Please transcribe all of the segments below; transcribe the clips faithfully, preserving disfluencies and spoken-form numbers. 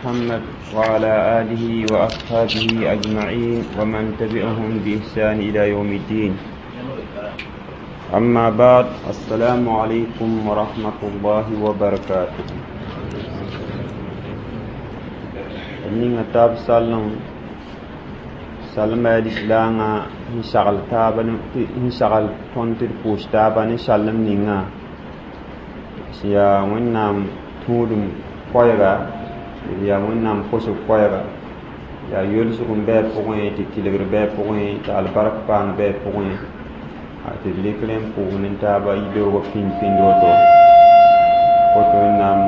محمد وعلى آله وأصحابه أجمعين ومن تبعهم بإحسان إلى يوم الدين. أما بعد، السلام عليكم ورحمة الله وبركاته. Ninga tab salem salma lislaanga n sagl taaba n sagl tõnd tɩ d pʋʋs taaba ne salem ninga sẽn yaa Wẽnnaam tũudem koɛɛga, d yaa Wẽnnaam kosg koɛɛga, yaa yolsg n bɩ a pʋgẽ, tɩ tɩlgr bɩ a pʋgẽ, tɩ albark paang bɩ a pʋgẽ, tɩ d rɩk rẽ n pʋʋs ne taaba yibeoogã pĩnd pĩnd woto woto Wẽnnaam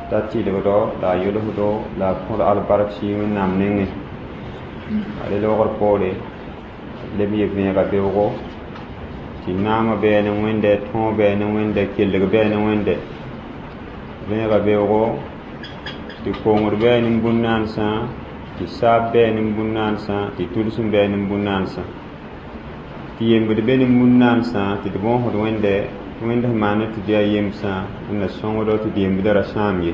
t'a tɩlgdo la a yolsdo la a kõd albark sɩ Wẽnnaam nengẽ. A re loogr poore leb n yɩ vẽega beoogo tɩ naamã bɩ ne Wẽnde, tõog bɩ ne Wẽnde, kelg bɩ ne Wẽnde. Vẽega beoogo tɩ kongr bɩ ne bũn-naansã, tɩ saab bɩ ne bũn-naansã, tɩ tʋlsem bɩ ne bũn-naansã, tɩ yembd be ne bũn-naansã, tɩ d bõosd Wẽnde tɩ Wẽnd sẽn maand tɩ d yaa yemsã n na sõngdo tɩ d yembdã ra sãam ye.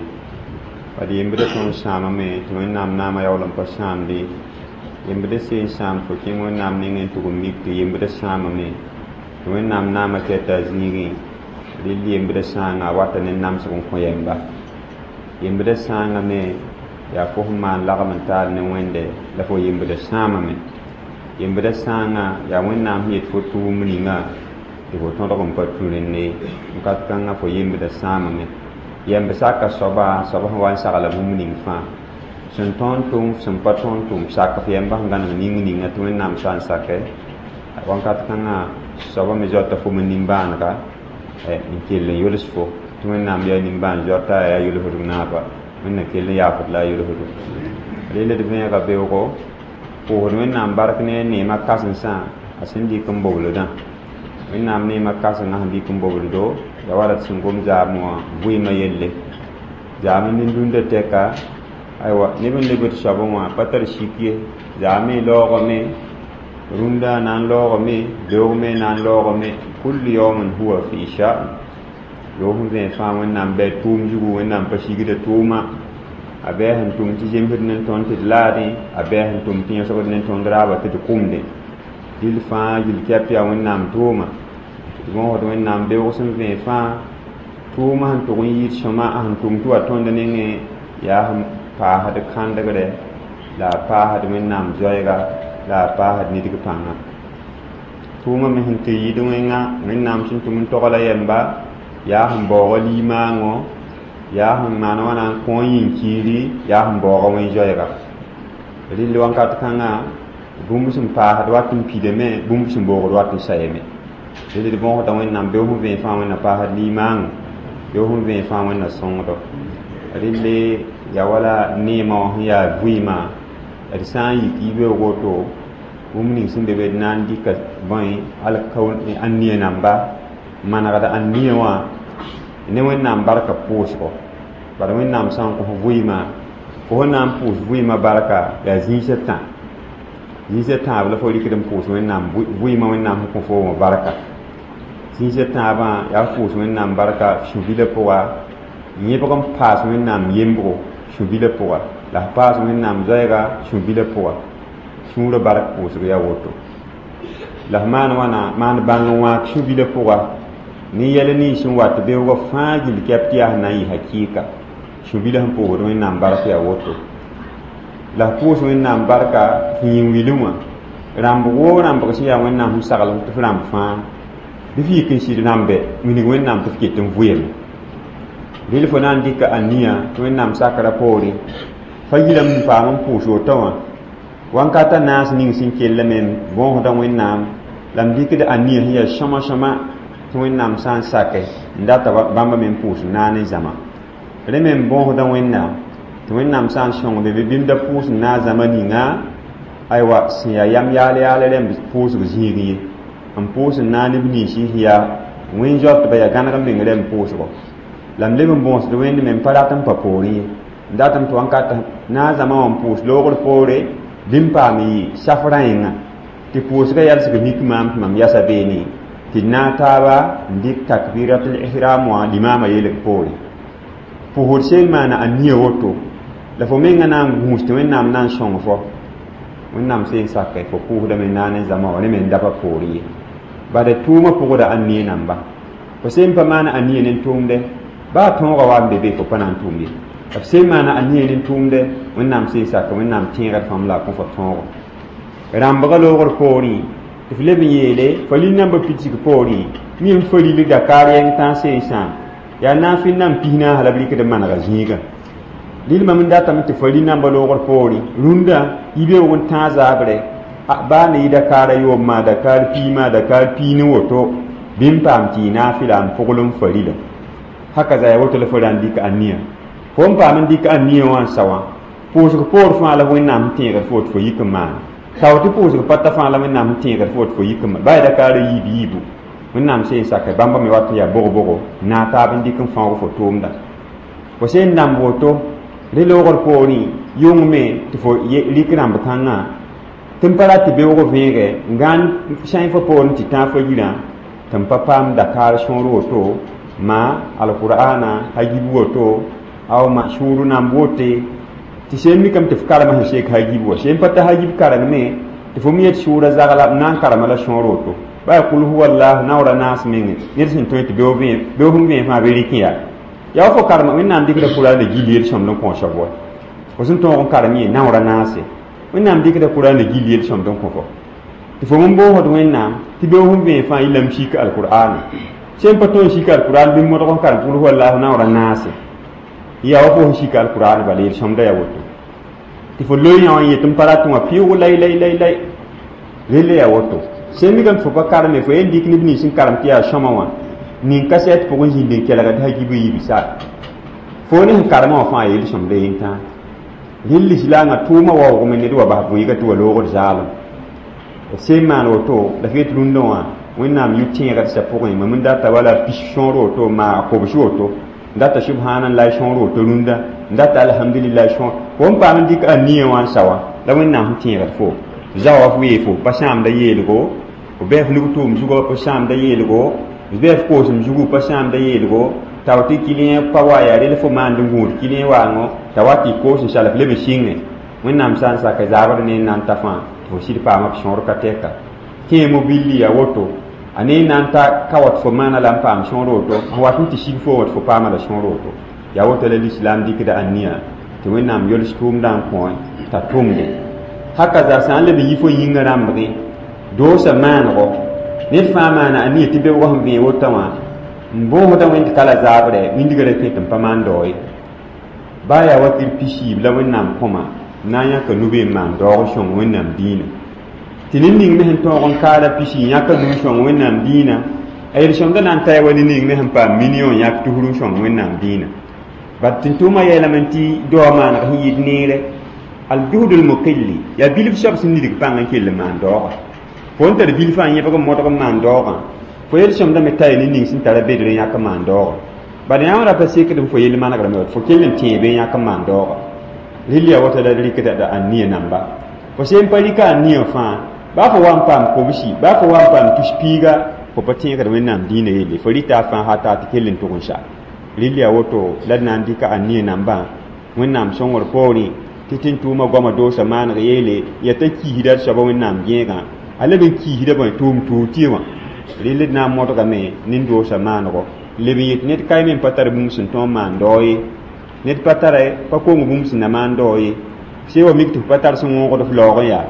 Pa d yembdã tõnd sãamame tɩ Wẽnnaam naamã yaool n pa sãamde. Yembdã seen sãam fo kẽng Wẽnnaam nengẽ n tʋg n mik tɩ yembdã sãamame tɩ Wẽnnaam naamã kɛta a zĩigẽ. Rel yembdã sãanga a wata ne namsg n kõ yɛmba. Yembdã sãanga me yaa fo sẽn maan lagm n taal ne Wẽnde la fo yembdã sãamame. Yembdã sãanga yaa Wẽnnaam sẽn yet fo tʋʋm ninga tɩ fo tõdg n pa tũ rẽnde wakat kãngã fo yembdã sãamame. Yɛmb saka soaba, soab sẽn wa n sagla bũmb ning fãa sẽn tõnd tʋm, sẽn pa tõnd tʋm, sak f yɛmba sẽn gãneg ning ninga tɩ Wẽnnaam sã n sakɛ wakat kãngã soaba me zoata fo me nimbãanega n kell n yols fo tɩ Wẽnnaam yaa nimbãan-zoata, yaa yolsdg naaba, Wẽnna kell n yaafd la a yolsdo. Rel d vẽega beoogo pʋʋsd Wẽnnaam bark ne a neemã kãsensã a sẽn dɩk n bobldã. Wẽnnaam neemã kãsengã sẽn dɩk n bobldo ya wala d sẽn gom zaamẽ wã vɩɩmã yelle zaam nin-dũndã tɛka. Aywa, neb n lebd soabẽ wã pa tar sik ye, zaame laoogame, rũndã na n laoogame, beoog me na n laoogame. Kullu yawmin huwa fi sha'n. Loog sẽn vẽeg fãa Wẽnnaam bɩ a tʋʋm zugu, Wẽnnaam pa sigda tʋʋma. A bɩ a sẽn tʋm tɩ zemsd ne tõnd tɩ d laadẽ, a bɩ a sẽn tʋm tɩ yõsgd ne tõnd raaba tɩ d kʋmdẽ. Dɩl fãa yil-kɛp yaa Wẽnnaam tʋʋma. D bõosd Wẽnnaam beoog sẽn vẽeg fãa tʋʋmã sẽn tʋg n yɩɩd sõma a sẽn tʋm tɩ wa tõnd nengẽ yaa sẽn paasd kãndgrɛ la a paasd Wẽnnaam zoɛɛga la a paasd nidg pãnga. Tʋʋmã me sẽn tɩ yɩɩd wẽnga Wẽnnaam sẽn tʋm n togla yɛmba yaa sẽn baooga limaango, yaa sẽn maan wãna n kõ yĩn-kiiri, yaa sẽn baooga wẽn-zoɛɛga. Rɩll wãnkat kãngã bũmb sẽn paasd wat n pidame, bũmb sẽn boogd wat n sayame. Rel d bõosda Wẽnnaam beoog sẽn vẽeg fãa Wẽnna paasd limaango, beoog sẽn vẽeg fãa Wẽnna sõngdo. Relle yaa wala neemã wã sẽn yaa vɩɩmã, d sã n yik yibeoog woto bũmb ning sẽn be be d na n dɩka bõe ania namba manegd ania wã ne Wẽnnaam barka pʋʋsgo. Bala Wẽnnaam sã n kõ vɩɩmã, fo sẽn na n pʋʋs vɩɩmã barka yaa zĩisã tã, zĩisã tãab la fo rɩkd n pʋʋs Wẽnnaam vɩɩmã, Wẽnnaam sẽn kõ fo wã barka. Zĩisã tãabã yaa f pʋʋs Wẽnnaam barka sũ-bilã pʋga, yẽbg n paas Wẽnnaam yembgo sũ-bilã pʋga, la f paas Wẽnnaam zoɛɛga sũ-bilã pʋga. Sũurã bark pʋʋsg yaa woto. La f maan wãna maan bãng n wãag sũ-bilã pʋga ne yɛl nins sẽn wat beoogã fãa gill kɛp tɩ yaa sẽn na n yɩ hakɩɩka. Sũ-bilã sẽn pʋʋsd Wẽnnaam bark yaa woto. La f pʋʋs Wẽnnaam barka f yĩn-wilẽ wã rãmbg woo rãmbg sẽn yaa Wẽnnaam sẽn sagl tɩ f rãmb fãa bɩ f yik n sɩd rãmbe wilg Wẽnnaam tɩ f ket n vʋeeme. Rel fo na n dɩka ania tɩ Wẽnnaam sakra poore fa yirame n paam n pʋʋs woto wã wãnkata naas ning sẽn kellame bõosda Wẽnnaam la m dɩkd ania sẽn yaa sõma sõma tɩ Wẽnnaam sã n sake n data bãmba me n pʋʋs naane zãma. Rẽ me n bõosda Wẽnnaam tɩ Wẽnnaam sã n sõng be bɩ da pʋʋs n naag zãma ninga aywa sẽn yaa yam yaal yaal rẽmb pʋʋsg zĩig ye n pʋʋs n naag neb nins sẽn yaa wẽn-zoatba yaa gãneg meng rẽmb pʋʋsgo. La m leb n bõosd Wẽnd me n pa rat n pa poorẽ ye n datame tɩ wãnkat naag zãma wã n pʋʋs loogr poore bɩ n paam yɩ saf rã yẽnga tɩ pʋʋsgã yalsg mik maam tɩ mam yasa beene tɩ d naag taaba n dɩk takbiratul ihram wã limaamã yeelg poore. Pʋʋsd seen maana ania woto La fo menga na n gũus tɩ Wẽnnaam na n sõng fo. Wẽnnaam seen sake fo pʋʋsdame naane zãma wã ne me n daba poor ye. Bala tʋʋmã pʋgda ania namba. Fo sẽn pa maana ania ne tʋʋmde, baa tõogã wa n be be fo pa na n tʋʋm ye. La f sẽn maana ania ne tʋʋmde, Wẽnnaam seen sake Wẽnnaam tẽegd fãmb la a kõ fo tõogo. Rãmbga loogr poorẽ, tɩ f leb n yeele fa lil nambã pidsg poorẽ, mi n fa lil Dakar yɛng tãag seen sãam yaa naafɩl nan pis naas la b rɩkd n manega zĩigã. Rɩl mam n datame tɩ fa lil nambã loogr poorẽ, rũndã yibeoog n tãag zaabre baa ne yɩ Dakar a yoob maa Dakar pii maa Dakar pii ne woto bɩ n paam tɩ yɩ naafɩla n pʋgl n fa rila. Haka za yaa woto la fo ra n dɩk ania. Fo n paam n dɩk ania wã n sa wã, pʋʋsg poor fãa la Wẽnnaam sẽn tẽegd fo tɩ fo yik n maane. Sao tɩ pʋʋsg pa ta fãa la Wẽnnaam sẽn tẽegd fo tɩ fo yik n maane. Baa Dakar a yiib yiibu. Wẽnnaam seen sake bãmba me wat n yaa bog-bogo n naag taab n dɩk n fãoog fo tʋʋmda. Fo sẽn namb woto, rẽ loogr poorẽ yʋng me tɩ fo rɩk rãmb kãngã tɩ n pa rat tɩ beoog vẽege n gãan sãy fo poorẽ tɩ tãag fo yirã tɩ n pa paam Dakar sõor woto ma alqur'ana hagib woto aw ma sũur namb wote tɩ sẽn mikame tɩ f karema sẽn sek hagib wa sẽn pa ta hagib karengme tɩ fo mi yet sʋʋra zagla n na n karema la sõor woto baa kul huwa allah naoora naas menge ned sẽn tõe tɩ beoog sẽn vẽe fãa bɩ rɩk yaa yaa fo karema Wẽnnaam dɩkda Kurãan gill yel-sõmd n kõ soab wa fo sẽn tõog n karem yẽ naoora naase Wẽnnaam dɩkda Kurãan gill yel-sõmd n kõ fo tɩ fo n boosd Wẽnnaam tɩ beoog sẽn vẽe fãa yɩlame sik alqur'ana sẽn pa tõe n sik alqur'an bɩ modg n karem kul huwa allah naoora naase yaa wa fo sẽn sik alqur'an bala yel-sõmda yaa woto tɩ fo loe yã wã n yet n pa rat wã pɩʋʋg lay lay lay lay relle yaa woto sẽn mikame tɩ fo pa kareme fo yen dɩk neb nins n karem tɩ yaa sõma wã nin kasɛt pʋgẽ zĩnd n kelgd hagib n yibsa fo ne sẽn karema wã fãa yel-sõmda yentã rɩl lislaangã tʋʋmã waoogme ned wa bas bʋɩɩga tɩ wa loogd zaalem d sẽn maan woto la f yet rũndã wã Wẽnnaam yʋ tẽegd sã pʋgẽ mam n data wala pis sõor woto maa kobs woto n data subhanallah sõor woto rũndã n data alhamdulillah sõor fo n paam n dɩk ania wã n sa wã la Wẽnnaam sẽn tẽegd fo zawa f wee fo pa sãamda yeelgo f bɩ f nug tʋʋm zugã pa sãamda yeelgo f bɩ f koosem zugu pa sãamda yeelgo tao tɩ kilẽ pa wa yaa rel fo maand n gũud kilẽ waango t'a wa tɩ koos n sal f leb n sɩngẽ Wẽnnaam sã n sake zaabr ne n na n ta fãa tɩ fo sɩd paama b sõor ka tɛka kẽemo billi ya woto a ne n na n ta ka wat fo maana la n paam sõor woto n wat n tɩ sig fo wã tɩ fo paama la sõor woto yaa woto la lislaam dɩkda ania tɩ Wẽnnaam yols tʋʋmdã n kõ t'a tʋmde haka za sã n leb n yi fo yĩngã rãmbgẽ doosa maanego ned fãa maana ania tɩ beoogã sẽn vẽe wotã wã n boosda wẽnd ka la zaabrɛ wĩndgã ra kẽ tɩ n pa maan dao ye baa yaa wakir pisiib la Wẽnnaam kõma n na n yãka nube n maan daoog sõng Wẽnnaam dĩinã tɩ ned ning me sẽn tõog n kaara pisi n yãka nug sõng Wẽnnaam dĩinã a yel-sõmda na n taya wa ne ning me sẽn paam million yãk tusr n sõng Wẽnnaam dĩinã bat tɩ tʋʋmã yeelame tɩ daoa maaneg sẽn yɩɩd neere aljuhd lmuqilli yaa bilf soab sẽn nidg pãng n kell n maan daoogã fo n tar bilfã n yẽbg n modg n maan daoogã fo yel-sõmda me taya ne ning sẽn tara bedr n yãk n maan daoogã bala yã wã ra pa sekd fo yell manegrame fo kell n tẽebe n yãk n maan daoogã rɩl yaa wota la rɩkda da ania namba fo sẽn pa rɩka ania fãa baa fo wa n paam kobsi baa fo wa n paam tus piiga fo pa tẽegd Wẽnnaam dĩinã yelle fo rɩta a fãa hata tɩ kell n tʋg n sa rɩl yaa woto la d na n dɩka ania nambã Wẽnnaam sõngr poorẽ tɩ tɩ n tʋʋmã goamã doosa maaneg yeele yaa t'a kiisda d soaba Wẽnnaam gẽegã a leb n kiisda bõe tʋʋm tuug tɩ wã rɩl d na n modgame nin-doosa maanego leb n yet ned kaime n pa tar bũmb sẽn tõog n maan dao ye ned pa tara pa kong bũmb sẽn na maan dao ye se wa mik tɩ f pa tar sẽn wõogd f laoog n yaa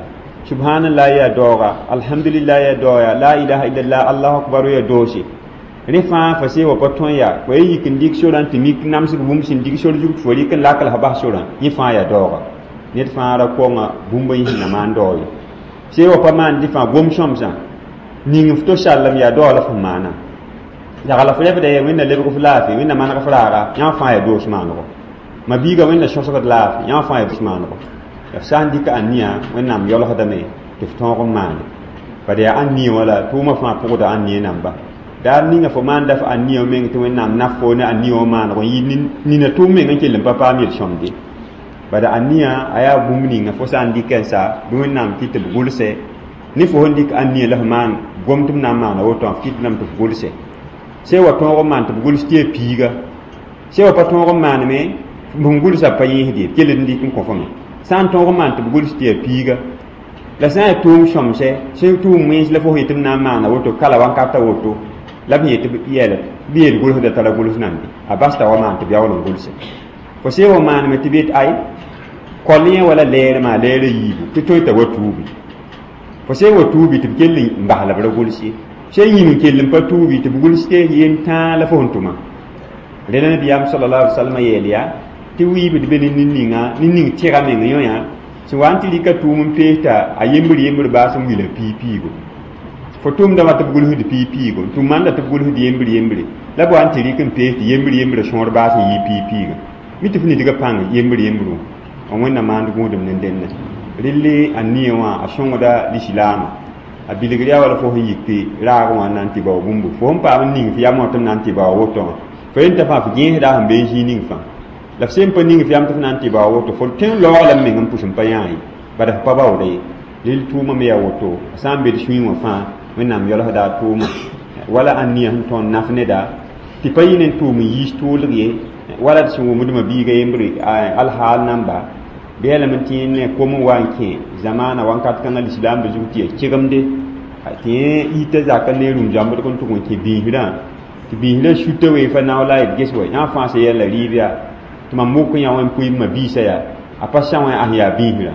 subhanallah yaa daooga alhamdulillah yaa daoya la ilaha illallah allahu akbar yaa doose rẽ fãa fa see wa pa tõe yaa fo ye yik n dɩk sorã tɩ mik namsg bũmb sẽn dig sor zug tɩ fo rɩk n lak la f bas sorã yẽ fãa yaa daooga ned fãa ra konga bũmb n yĩsna maan dao ye see wa pa maan dɩ fãa gom sõmsã ning f to sallem yaa dao la f maana yagla f rebda ye Wẽnna lebg f laafɩ Wẽnna maneg f raaga yã fãa yaa doos maanego ma biiga Wẽnna sõsgd laafɩ yã fãa yaa doos maanego la f sã n dɩka ania Wẽnnaam yolsdame tɩ f tõog n maane bad yaa ania wala tʋʋmã fãa pʋgda ania namba daar ninga fo maanda f ania meng tɩ Wẽnnaam naf fo ne ania wã maanego n yɩ nina tʋʋm meng n kell n pa paam yel-sõmde bad ania a yaa bũmb ninga fo sã n dɩk n sa bɩ Wẽnnaam kɩt tɩ b gʋlse ne fo sẽn dɩk ania la f maan gom tɩ b na n maana woto f kɩt lame tɩ f gʋlse se wa tõog n maan tɩ b gʋls tɩ yaa piiga se wa pa tõog n maaneme Sẽn gʋlsa pa yẽesd ye kell n dɩk n kõ fo me sã n tõog n maan tɩ b gʋls tɩ yaa piiga la sã n yaa tʋʋm sõmsɛ sẽn tʋʋm wẽns la fo yetɩ b na n maana woto kala wankata woto la b yetɩ yɛl b yeel gʋlsda tara gʋls nande a basta wa maan tɩ b yaool n gʋlse fo see wa maaneme tɩ b yet ay kol yẽ wala lɛɛrmã lɛɛrã yiibu tɩ tõe t'a wa tuubi fo see wa tuubi tɩ b kell n bas la b ra gʋls ye sẽn yĩng n kell n pa tuubi tɩ b gʋls tɩ yen tãa la fo sẽn tʋma rẽla nabiyaam sallallahu alaihi wasallam yeel yaa tɩ wiibd be ne nin-ninga nin-ning tɩga meng yõ yã sẽn wa n tɩ rɩka tʋʋm n peesta a yembr yembr baas n wila piig-piigo fo tʋmda wã tɩ b gʋlsd piig-piigo n tʋm manda tɩ b gʋlsd yembr yembre la b wa n tɩ rɩk n pees tɩ yembr yembrã sõor baas n yɩ piig-piigã mi tɩ f nidgã pãng yembr yembrã wẽnnaam maand gũudem ne dẽnne relle a nia wã a sõngda lislaamã a bilgr yaa wala fo sẽn yik tɩ raag wã n na n tɩ bao bũmbu fo sẽn paam n ning f yam wã tɩ b na n tɩ bao woto wã fo yenta fãa f gẽesda sẽn be n zĩig ning fãa la f sẽn pa ning f yam tɩ f na n tɩ bao woto fo tõe n laoog la m meng n pʋs n pa yãa ye bad f pa baooda ye rel tʋʋmã me yaa woto a sã n be d sũyẽ wã fãa wẽnnaam yalsda a tʋʋma wala a nia sẽn tõnd naf neda tɩ pa yɩ ne tʋʋm n yiis tʋʋlg ye wala d sẽn wʋmdmã biiga yembre alhaal namba bɩ yaa lame tɩ ne kom n wa n kẽ zamaana wankat kãngã lislaambã zug tɩ yaa kegemde tɩ yẽ ita zaka ne rũm zãmbdg n tʋg n kẽ biisrã tɩ biisrã suta wee fa nao la d ges wa yã fãa sẽn yɛl la rɩɩb yaa tɩ mam wok yã wẽn pʋɩ ma biisã yaa a pa sã wẽ as yaa biisrã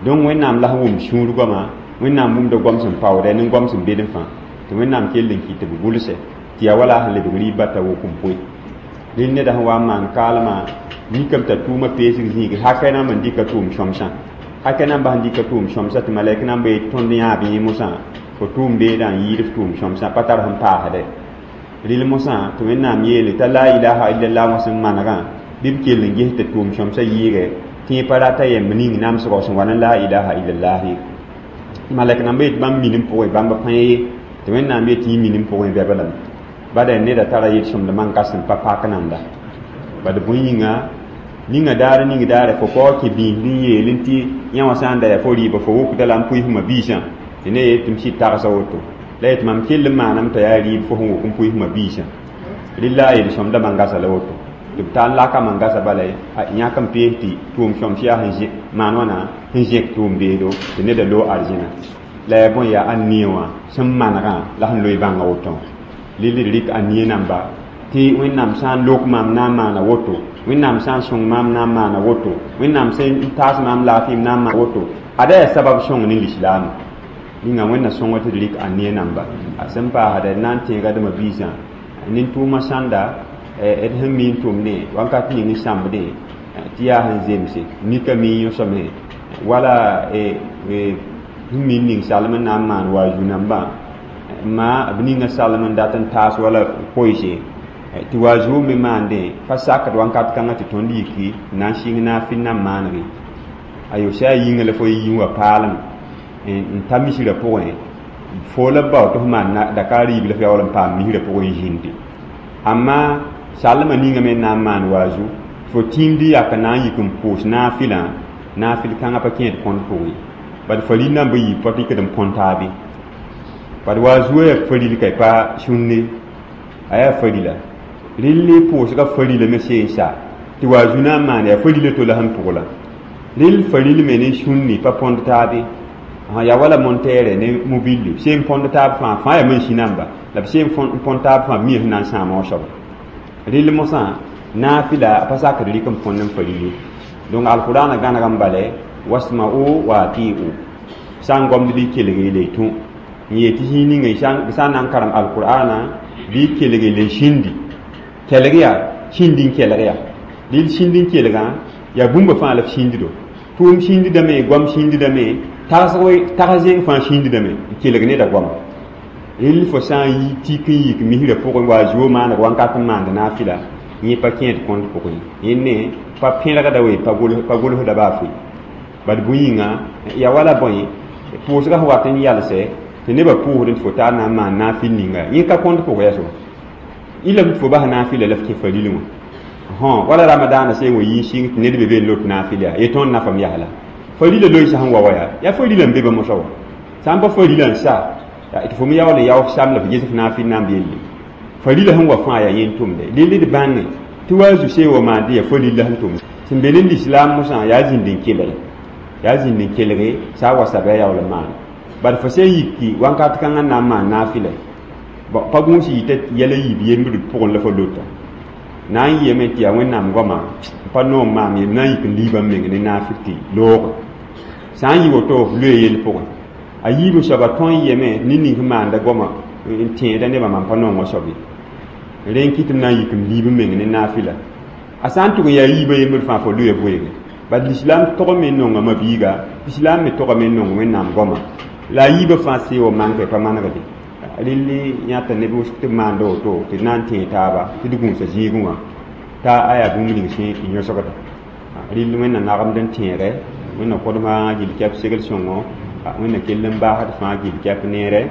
donc wẽnnaam la sẽn wʋm sũur goama wẽnnaam wʋmda goam sẽn paoodɛ ne goam sẽn bed fãa tɩ wẽnnaam kell n kɩt tɩ b gʋlsɛ tɩ yaa wala sẽn lebg rɩɩb bata wok n poe rel neda sẽn wa n maan kaalmã mikame t'a tʋʋmã peesg zĩigi hakɛ namba n dɩka tʋʋm sõmsã hakɛ namba sẽn dɩka tʋʋm sõmsã tɩ malɛk namba yet tõnd yãab yẽ mosã fo tʋʋm beedã n yɩɩd f tʋʋm sõmsã pa tar sẽn paasdɛ rel mosã tɩ wẽnnaam yeele t'a la ilaha illallah wã sẽn manegã bɩ b kell n ges tɩ tʋʋm sõmsã yɩɩgɛ tɩ yẽ pa rata yɛmb ning namsgɔ sẽn wa ne la ilaha illallah ye malɛk namba yet bãmb minim pʋgẽ bãmb pãe ye tɩ wẽnnaam yet yẽ minim pʋgẽ bɛba lame bada neda tara yel-sõmd man ka sẽn pa pak nanda bad bõe yĩnga ninga daar ning daare fo kao kẽ biisd n yeel n tɩ yã wã sã n da yaa fo rɩɩba fo wokda la n pʋɩs ma biisã tɩ ne yet tɩ m sɩd tagsa woto la yet mam kell n maanam t'a yaa rɩɩb fo sẽn wok n pʋɩs ma biisã rella a yel-sõmda mangasa la woto tɩ b tar n laka mangasa bala yãk n pees tɩ tʋʋm sõms yaa sẽn maan wãna sẽn zẽk tʋʋm beedo tɩ neda loog arzẽna la yaa bõe yaa ãn-nie wã sẽn manegã la sẽn loe bãnga woto rel d rɩk a-nie namba tɩ wẽnnaam sã n lok maam na n maana woto wẽnnaam sã n sõng maam na n maana woto wẽnnaam sẽn taas maam laafɩ m na n maan woto ada yaa sabab sõng ne lislaam ninga wẽnna sõnga tɩ d rɩk a-nie namba a sẽn paasda d na n tẽega dma biisã nin-tʋʋmã sãnda d sẽn mi n tʋmdẽ wankat ning n sãmbdẽ tɩ yaa sẽn zemse mika mi yõsame wala sẽn mi n ning salem n na n maan wa zu-nambã ma b ninga salem n dat n taas wala koɩse tɩ wa zuo me maandẽ pa sakd wankat kãngã tɩ tõnd yiki n na n sɩng naafɩ n na n maanege ayo sã a yĩnga la fo yĩng wa paalem n ta misrã pʋgẽ fo la b bao tɩ f maan dakaar yiib la f yaool n paam misrã pʋgẽ n zĩndi amma salmã ninga me n na n maan waazu fo tĩimd yak n na n yik n pʋʋs naafɩlã naafɩl kãngã pa kẽed kõnd pʋgẽ bad faril namba yiib pa rɩkd n põn taabe bad waazuã yaa faril ka pa sũnne a yaa farila relle pʋʋsga farila me seen sa tɩ waazu na n maan yaa farila to la sẽn pʋgla rel faril me ne sũnni pa põnd taabe yaa wala montɛɛrɛ ne mobilli seen põnd taab fãa fãa yaa mansi namba la b seen põnd taab fãa mi sẽn na n sãama wã soaba rel mosã naafɩla a pa sakd rɩk n põnd n faril ye donc alqurana gãneg n bale wasma'u wa atiu sã n gomd bɩ kelg le tũ n yetɩ zĩig ninga sã n na n karem alqur'ana bɩ kelg le sĩndi kelg yaa sĩndi n kelg yaa rɩl sĩnd n kelgã yaa bũmba fãa la f sĩnddo tʋʋm sĩndidame goam sĩndidame tags zẽng fãa sĩndidame n kelg neda goama rel fo sã n yi tik n yik misrã pʋgẽ wa zuo maaneg wankat n maand naafɩla yẽ pa kẽed kõnd pʋgẽ yẽ ne pa pẽrgda we pa gʋlsda baa foe bad bõe yĩnga yaa wala bõe pʋʋsga sẽn wat n yalsɛ tɩ nebã pʋʋsd tɩ fo tar na n maan naafɩl ninga yẽ ka kõnd pʋgẽ yaa soaba ila tɩ fo bas naafɩla la f kẽ faril wã hõ wala ramadaana sẽn wa yɩ sɩng tɩ ned be be n lot naafɩl yaa ye tõnd nafam yasla farila loɩsã sẽn wa wa yaa yaa farila n be ba mosã wa sã n pa farila n sa tɩ fo me yaool n yao f sam la f ges f naafɩl namb yelle farila sẽn wa fãa yaa yẽn tʋmde rel d bãnge tɩ wa zu see wa maan tɩ yaa fo lilla sẽn tʋm sẽn be ne lislaam mosã yaa zĩnd n kelge yaa zĩnd n kelge sã a wa saba a yaool n maana bad fo sẽn yiki wãnkat kãngã n na n maan naafɩla bon pa gũus yita yɛla yiib yembd pʋgẽ la fo lota na n yɩame tɩ yaa wẽnnaam goama n pa noom maam yem na n yik n liibã n meng ne naafɩl tɩ looge sã n yɩ woto f loe yell pʋgẽ a yiibã soaba tõe n yeme ne ning sẽn maanda goama n tẽeda nebã mam pa nongo soab ye rẽ n kɩt m na n yik m liib n meng ne naafɩla a sã n tʋg n yaa yiibã yembd fãa fo loe voeege bad lislaam togame n nonga mabiiga lislaam me togame n nong wẽnnaam goama la a yiibã fãa see wa manka pa manegde rɩlli yãta neb wʋsg tɩ b maanda woto tɩ d na n tẽe taaba tɩ d gũusa zĩigẽ wã t'a a yaa bũmb ning sẽn n yõsgda rɩll wẽnna nagemd n tẽegɛ wẽnna kõdmã gill kɛp segl sõngo wẽnna kell n baasd fãa gill kɛp neere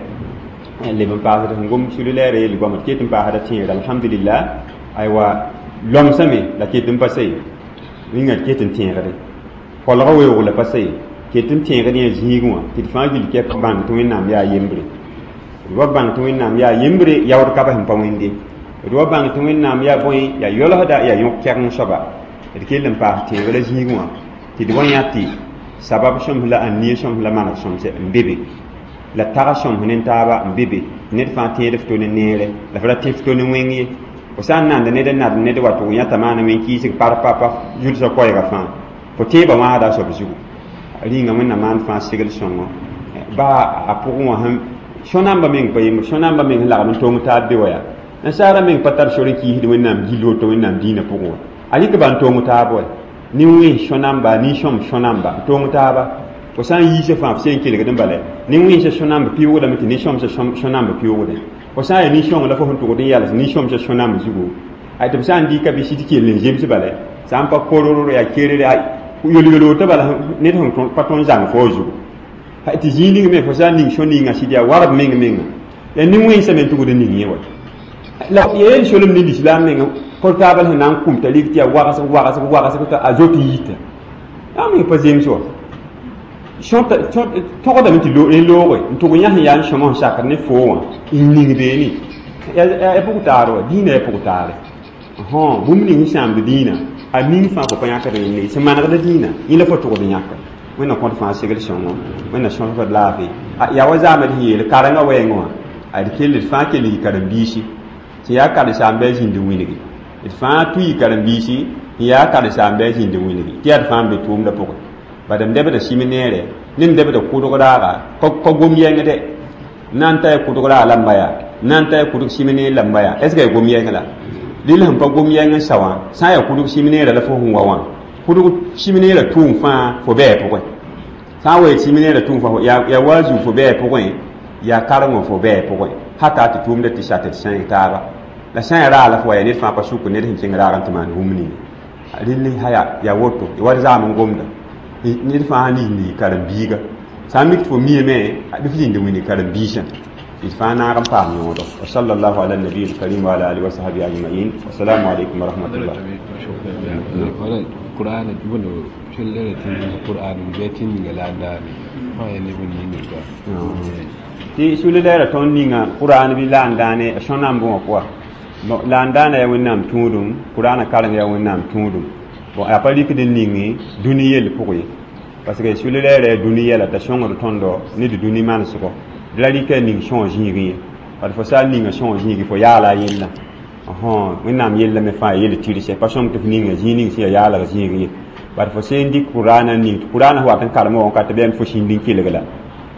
leb n paasd sẽn gom sulu-lɛɛrã yel goama tɩ ket n paasda tẽegre alhamdulillah aywa lomsame la ket n pa sa ye rĩnga tɩ ket n tẽegde kolgã weoog la pa sa ye ket n tẽegd yã zĩigẽ wã tɩ d fãa gill kɛp bãng tɩ wẽnnaam yaa yembre d wa bãng tɩ wẽnnaam yaa yembre yaood ka sẽn pa wẽnde d wa bãng tɩ wẽnnaam yaa bõe yaa yolsda yaa yõk kɛgeng soaba d kell n paas tẽegrã zĩigẽ wã tɩ d wa yã tɩ sabab sõms la ania sõms la maneg sõmse n be be la tag sõms ne taaba n be be ned fãa tẽed f to ne neere la f ra tẽ f to ne wẽng ye fo sã n nand ned n nad ned wa tʋg yãta maana wẽn kiisg par pa zulsã koɛɛgã fãa fo tẽebã wãasda a soab zugu rĩnga wẽnnaam maan fãa segl sõngo baa a pʋgẽ wã sẽn sõnamba meng pa yembr sõnamba meng sẽn lagm n tong taab be wa yaa nasaara meng pa tar sor n kiisd wẽnnaam gill woto wẽnnaam dĩinã pʋgẽ wa a rɩk ba n tong taab wa nin-wẽns sõnamba nin-sõm sõnamba n tong taaba fo sã n yiisã fãa f seen kelgd n bala nin-wẽnsã sõnamb pɩʋʋgdame tɩ nin-sõmsã sõnamb pɩʋʋgdẽ fo sã n yaa nin-sõng la fo sẽn tʋgd n yals nin-sõmsã sõnamb zugu ay tɩ b sã n dɩka bɩ sɩd kell n zems bala sã n pa koror yaa kerere yol-yol woto bala ned sẽn pa tõnd n zãng fo zugu tɩ zĩig ning me fo sã n ning sõ-ninga sɩd yaa warb meng menga la nin-wẽnsã me n tʋgd n ning yẽ wa la yeel solem ne lislaam menga kor taaba sẽn na n kũm t'a rig tɩ yaa wagsg wagsg wagsg t'a a zot n yita yaa meng pa zems wa tõgdame tɩ loogre n tʋg yã sẽn yaa n sõma sẽn sakd ne foo wã n ning beene yaa pʋg taar wa dĩinã yaa pʋg taare bũmb ning sẽn sãamd dĩinã a ning fãa fo pa yãkd yẽnde sẽn manegda dĩinã yẽ la fo tʋgd yãka wẽnna kõt fãa segl sõngo wẽnna sõsg d laafɩ yaa wa zaamd sẽn yeel karengã wɛɛngẽ wã a d kell d fãa kell yɩ karen-biisi sẽn yaa karen-saamba a zĩnd wilgi d fãa tʋ yɩ karen-biisi sẽn yaa karen-saamba a zĩnd wilgi tɩ yaa d fãa n be tʋʋmdã pʋgẽ bad m debda sɩm neere ne m debda kʋdg raaga pa gom yɛngde na n ta ya kʋdg raag lamba yaa na n ta ya kʋdg sɩm neer lamba yaa est ce que ya gom yɛng la rɩl sẽn pa gom yɛng n sa wã sã n yaa kʋdg sɩm neerã la fo sẽn wa wã kʋdg sɩm neerã tʋʋm fãa fo bɛɛ pʋgẽ sã n wa sɩm neerã tʋʋm fãa yaa wa zu fo bɛɛ pʋgẽ yaa karengõ fo bɛɛ pʋgẽ hata tɩ tʋʋmda tɩ sa tɩ d sẽeg taaba la sã n yaa raag la fo wa yaa ned fãa pa sʋk ned sẽn kẽng raag n tɩ maan bũmb ninga rɩl ha yaa woto wa d zaam n gomda ned fãa sẽn ning karen-biiga sã n mik tɩ fo miame bɩ f zĩnd wĩni karen-biisã d fãa naag n paam yõodo wa sallallahu ala nabi alkarim wa ala alihi wa sahbihi ajmain wassalamu alaikum wa rahmatullah Qur'an bunu shillere tin Qur'an be tin ninga la ndani ma ne bun ninga ka tɩ sulu-lɛɛrã tõnd ninga qur'an bɩ la n dãane sõnam bõwã pʋga bon la n dãana yaa wẽnnaam tũudum qur'ana kareng yaa wẽnnaam tũudum bon a pa rɩkd n ning dũni yell pʋgẽ ye parce que sulu-lɛɛrã yaa dũni yɛla t'a sõngd tõndo ne d dũni manesgo d ra rɩka ning sõog zĩigẽ ye bad fo sã n ninga sõog zĩigi fo yaala a yella wẽnnaam yella me fãa yel tɩrse pa sõm tɩ f ninga zĩig ning sẽn yaa yaalg zĩig ye bad fo sẽn dɩk qur'ana ning tɩ qur'ana sẽn wat n karem wã wakat bɩ fo sĩnd n kelg la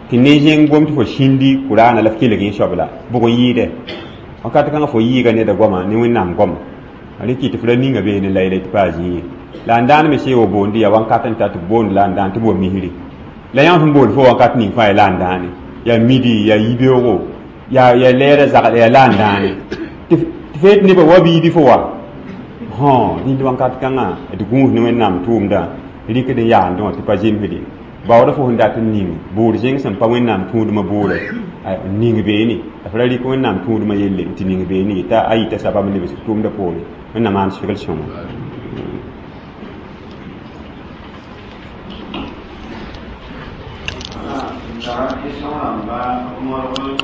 tɩ ne zẽng gom tɩ fo sĩndi qur'ana la f kelg yẽ soab la bʋg n yɩɩdɛ wakat kãngã fo yɩɩga neda goama ne wẽnnaam goama rẽ kɩ tɩ f ra ninga beene la yɛla tɩ paa zĩig ye la n dãan me see wa boondi yaa wãnkat n ta tɩ b boond la n dãan tɩ b wa misri la yã sẽn boond fo wakat ning fãa yaa la n dãane yaa midi yaa yibeoogo yaa yaa lɛɛrã zagl yaa la n dãane tɩ feet nebã wa biibi fo wa rĩnd wãnkat kãngã d gũus ne wẽnnaam tʋʋmdã rɩkd n yaandẽ wã tɩ pa zemsde baooda fo sẽn dat n ning boor zẽng sẽn pa wẽnnaam tũudmã boore n ning beene la f ra rɩk wẽnnaam tũudmã yelle n tɩ ning beene t'a a yita sabab n lebs tʋʋmdã poore wẽnnaam maan segl sõngo tara question rãmba morg